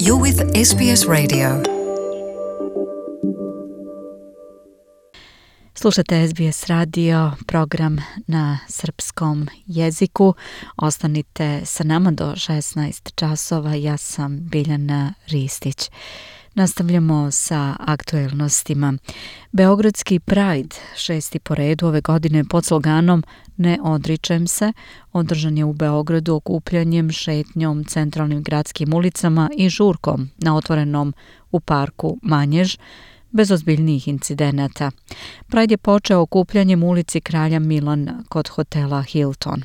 You're with SBS Radio. Slušate SBS radio, program na srpskom jeziku. Ostanite sa nama do 16 časova. Ja sam Biljana Ristić. Nastavljamo sa aktuelnostima. Beogradski Pride, 6. po redu ove godine pod sloganom Ne odričem se, održan je u Beogradu okupljanjem, šetnjom, centralnim gradskim ulicama i žurkom na otvorenom u parku Manjež, bez ozbiljnijih incidenata. Pride je počeo okupljanjem u ulici Kralja Milana kod hotela Hilton.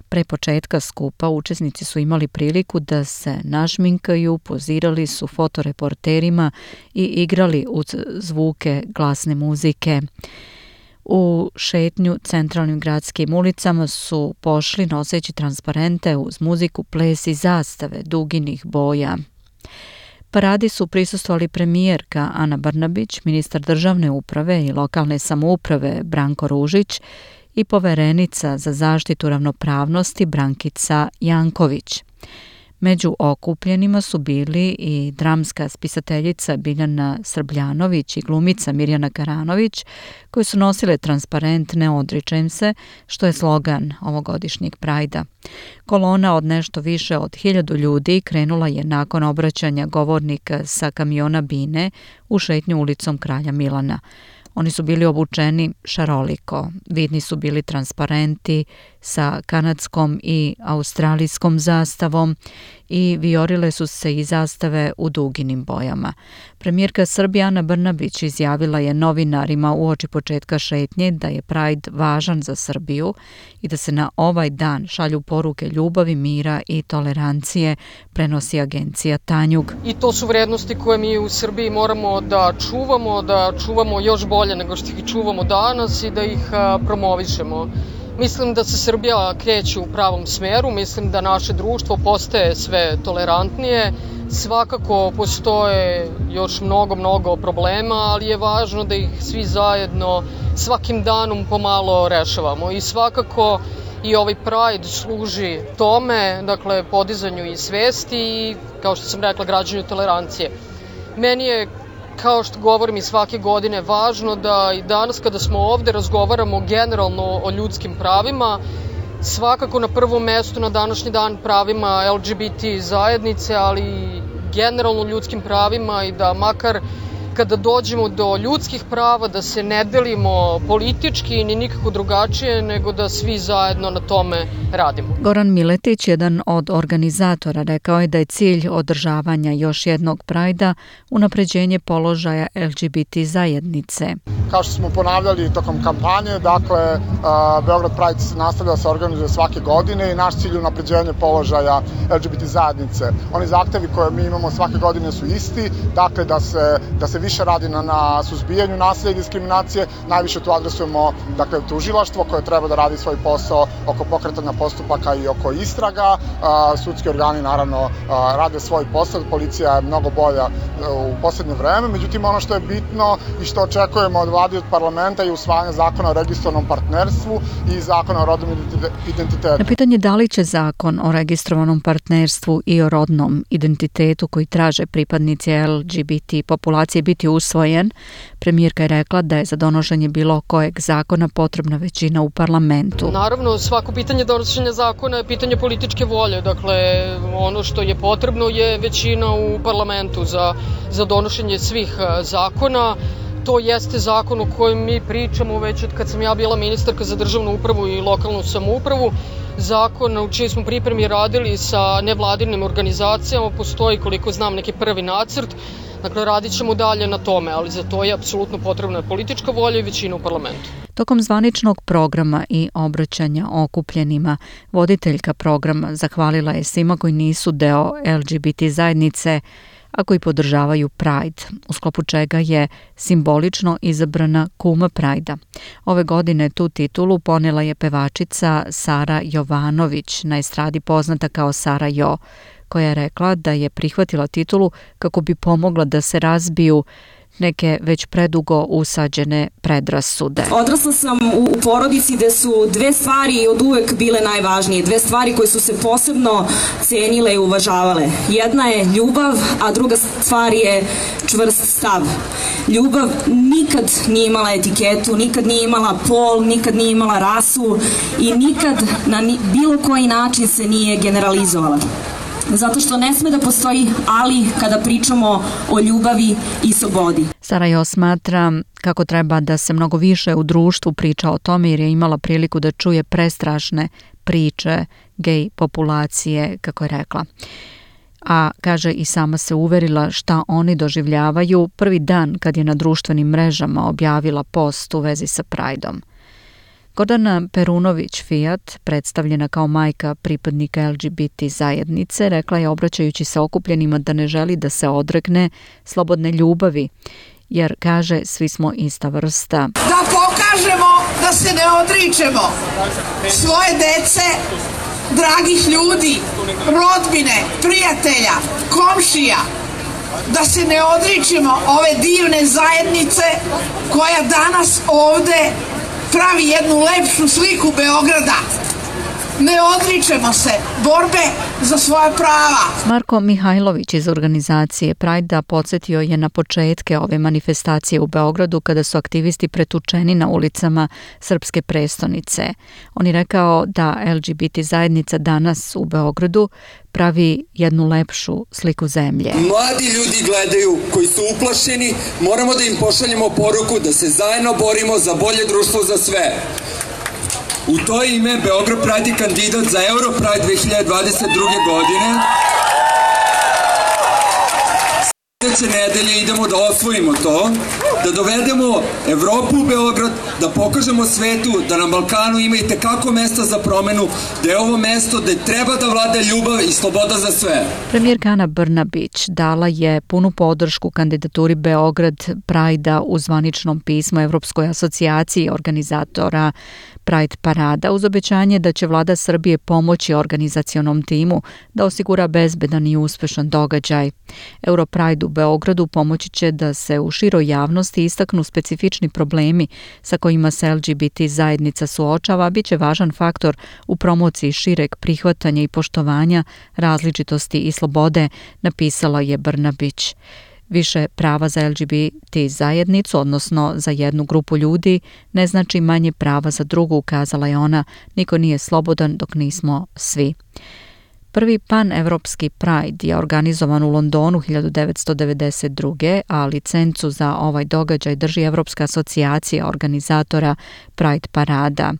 Pre početka skupa učesnici su imali priliku da se našminkaju, pozirali su fotoreporterima i igrali uz zvuke glasne muzike. U šetnju centralnim gradskim ulicama su pošli noseći transparente uz muziku, ples i zastave duginih boja. Paradi su prisustvovali premijerka Ana Brnabić, ministar državne uprave i lokalne samouprave Branko Ružić i poverenica za zaštitu ravnopravnosti Brankica Janković. Među okupljenima su bili i dramska spisateljica Biljana Srbljanović i glumica Mirjana Karanović, koji su nosile transparent Ne odričem se, što je slogan ovogodišnjeg Prajda. Kolona od nešto više od 1000 ljudi krenula je nakon obraćanja govornika sa kamiona Bine u šetnju ulicom Kralja Milana. Oni su bili obučeni šaroliko, vidni su bili transparenti sa kanadskom i australijskom zastavom i vijorile su se i zastave u duginim bojama. Premijerka Srbije Ana Brnabić izjavila je novinarima uoči početka šetnje da je Pride važan za Srbiju i da se na ovaj dan šalju poruke ljubavi, mira i tolerancije, prenosi agencija Tanjug. I to su vrednosti koje mi u Srbiji moramo da čuvamo još bolje nego što ih čuvamo danas i da ih promovišemo. Mislim da se Srbija kreće u pravom smeru, mislim da naše društvo postaje sve tolerantnije. Svakako postoje još mnogo problema, ali je važno da ih svi zajedno svakim danom pomalo rešavamo. I svakako i ovaj Pride služi tome, dakle podizanju i svesti i, kao što sam rekla, građanju tolerancije. Meni je, kao što govorim i svake godine, važno da i danas kada smo ovde razgovaramo generalno o ljudskim pravima, svakako na prvom mestu na današnji dan pravima LGBT zajednice, ali i generalno ljudskim pravima i da makar kada dođemo do ljudskih prava da se ne delimo politički ni nikako drugačije, nego da svi zajedno na tome radimo. Goran Miletić, jedan od organizatora, rekao je da je cilj održavanja još jednog Prajda unapređenje položaja LGBT zajednice. Kao što smo ponavljali tokom kampanje, dakle, Beograd Pride se nastavlja da se organizuje svake godine i naš cilj je unapređenje položaja LGBT zajednice. Oni zahtevi koje mi imamo svake godine su isti, dakle da se više radi na suzbijanju nasilja i diskriminacije. Najviše tu adresujemo tužilaštvo koje treba da radi svoj posao oko pokretanja postupaka i oko istraga. Sudski organi naravno rade svoj posao, policija je mnogo bolja u poslednje vreme. Međutim, ono što je bitno i što očekujemo od vlade i od parlamenta je usvajanje zakona o registrovanom partnerstvu i zakona o rodnom identitetu. Na pitanje da li će zakon o registrovanom partnerstvu i o rodnom identitetu koji traže pripadnici LGBT populacije biti usvojen, premijerka je rekla da je za donošenje bilo kojeg zakona potrebna većina u parlamentu. Naravno, svako pitanje donošenja zakona je pitanje političke volje. Dakle, ono što je potrebno je većina u parlamentu za donošenje svih zakona. To jeste zakon o kojem mi pričamo već od kad sam ja bila ministarka za državnu upravu i lokalnu samoupravu. Zakon u čiji smo pripremi radili sa nevladinim organizacijama, postoji, koliko znam, neki prvi nacrt. Dakle, radit ćemo dalje na tome, ali za to je apsolutno potrebna politička volja i većina u parlamentu. Tokom zvaničnog programa i obraćanja okupljenima, voditeljka programa zahvalila je svima koji nisu deo LGBT zajednice, a koji podržavaju Pride, u sklopu čega je simbolično izabrana kuma Prajda. Ove godine tu titulu ponela je pevačica Sara Jovanović, na estradi poznata kao Sara Jo, koja je rekla da je prihvatila titulu kako bi pomogla da se razbiju neke već predugo usađene predrasude. Odrasla sam u porodici gde su dve stvari od uvek bile najvažnije, dve stvari koje su se posebno cenile i uvažavale. Jedna je ljubav, a druga stvar je čvrst stav. Ljubav nikad nije imala etiketu, nikad nije imala pol, nikad nije imala rasu i nikad na bilo koji način se nije generalizovala. Zato što ne sme da postoji ali kada pričamo o ljubavi i slobodi. Sarajevo smatra kako treba da se mnogo više u društvu priča o tome jer je imala priliku da čuje prestrašne priče gej populacije, kako je rekla. A kaže i sama se uverila šta oni doživljavaju prvi dan kad je na društvenim mrežama objavila post u vezi sa Prideom. Gordana Perunović-Fijat, predstavljena kao majka pripadnika LGBT zajednice, rekla je obraćajući se okupljenima da ne želi da se odrekne slobodne ljubavi, jer kaže svi smo ista vrsta. Da pokažemo da se ne odričemo svoje dece, dragih ljudi, rodbine, prijatelja, komšija, da se ne odričemo ove divne zajednice koja danas ovde pravi jednu lepšu sliku Beograda. Ne odričemo se borbe za svoja prava. Marko Mihajlović iz organizacije Pride podsjetio je na početke ove manifestacije u Beogradu kada su aktivisti pretučeni na ulicama srpske prestonice. On je rekao da LGBT zajednica danas u Beogradu pravi jednu lepšu sliku zemlje. Mladi ljudi gledaju koji su uplašeni, moramo da im pošaljemo poruku da se zajedno borimo za bolje društvo za sve. U to ime Beograd Pride je kandidat za Euro Pride 2022. godine. Sljedeće nedelje idemo da osvojimo to, da dovedemo Evropu u Beograd, da pokažemo svetu da na Balkanu ima i tekako mesta za promenu, da je ovo mesto gde treba da vlada ljubav i sloboda za sve. Premijerka Ana Brnabić dala je punu podršku kandidaturi Beograd Pride-a u zvaničnom pismu Evropskoj asocijaciji organizatora Pride parada uz obećanje da će vlada Srbije pomoći organizacionom timu da osigura bezbedan i uspešan događaj. Europride u Beogradu pomoći će da se u široj javnosti istaknu specifični problemi sa kojima se LGBT zajednica suočava, bit će važan faktor u promociji šireg prihvatanja i poštovanja različitosti i slobode, napisala je Brnabić. Više prava za LGBT zajednicu, odnosno za jednu grupu ljudi, ne znači manje prava za drugu, ukazala je ona. Niko nije slobodan dok nismo svi. Prvi pan-evropski Pride je organizovan u Londonu 1992. a licencu za ovaj događaj drži Evropska asocijacija organizatora Pride parada.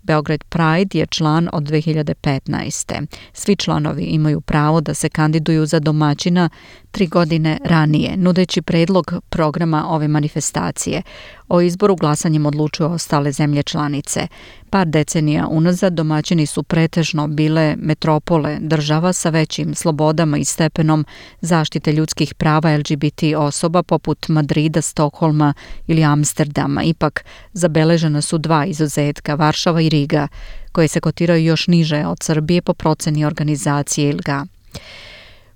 Beograd Pride je član od 2015. Svi članovi imaju pravo da se kandiduju za domaćina 3 godine ranije, nudeći predlog programa ove manifestacije. O izboru glasanjem odlučuju ostale zemlje članice. Par decenija unazad domaćini su pretežno bile metropole država sa većim slobodama i stepenom zaštite ljudskih prava LGBT osoba poput Madrida, Stokholma ili Amsterdama. Ipak zabeležena su 2 izuzetka, Varšava i Riga, koje se kotiraju još niže od Srbije po proceni organizacije ILGA.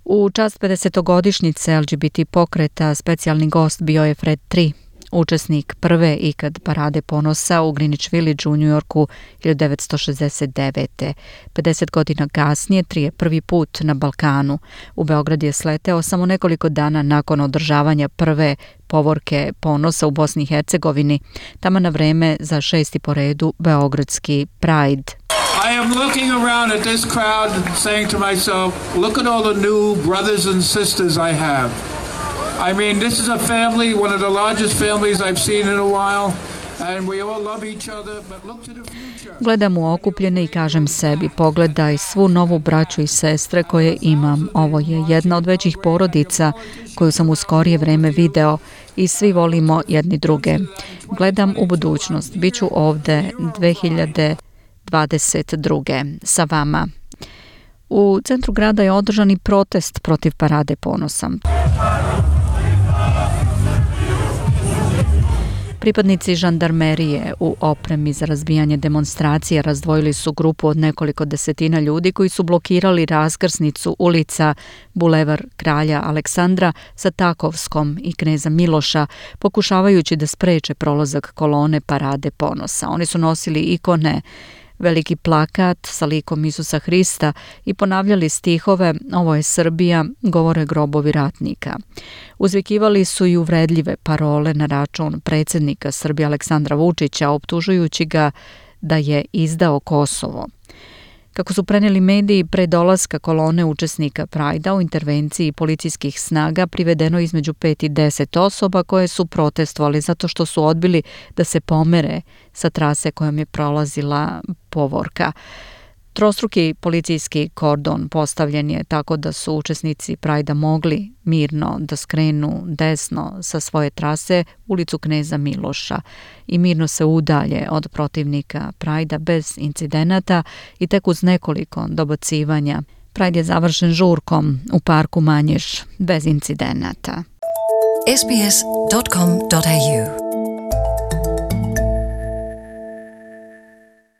U čast 50-godišnjice LGBT pokreta specijalni gost bio je Fred III, učesnik prve ikad parade ponosa u Greenwich Village u Njujorku 1969. 50 godina kasnije Tri je prvi put na Balkanu. U Beograd je sleteo samo nekoliko dana nakon održavanja prve povorke ponosa u Bosni i Hercegovini, taman na vreme za 6. po redu Beogradski Pride. I am looking around at this crowd and saying to myself, look at all the new brothers and sisters I have. I mean, this is a family, one of the largest families I've seen in a while, and we all love each other, but look to the future. Gledam u okupljene i kažem sebi, pogledaj svu novu braću i sestre koje imam. Ovo je jedna od većih porodica koju sam u skorije vreme video i svi volimo jedni druge. Gledam u budućnost, bit ću ovde 2022. sa vama. U centru grada je održan i protest protiv parade ponosa. Pripadnici žandarmerije u opremi za razbijanje demonstracija razdvojili su grupu od nekoliko desetina ljudi koji su blokirali raskrsnicu ulica Bulevar Kralja Aleksandra sa Takovskom i Kneza Miloša, pokušavajući da spreče prolazak kolone Parade ponosa. Oni su nosili ikone, veliki plakat sa likom Isusa Hrista i ponavljali stihove "Ovo je Srbija, govore grobovi ratnika". Uzvikivali su i uvredljive parole na račun predsjednika Srbije Aleksandra Vučića, optužujući ga da je izdao Kosovo. Kako su preneli mediji, pre dolaska kolone učesnika Prajda u intervenciji policijskih snaga privedeno između 5 i 10 osoba koje su protestovali zato što su odbili da se pomere sa trase kojom je prolazila povorka. Trostruki policijski kordon postavljen je tako da su učesnici Prajda mogli mirno da skrenu desno sa svoje trase ulicu Kneza Miloša i mirno se udalje od protivnika Prajda bez incidenata i tek uz nekoliko dobacivanja. Prajd je završen žurkom u parku Manješ bez incidenata. sbs.com.au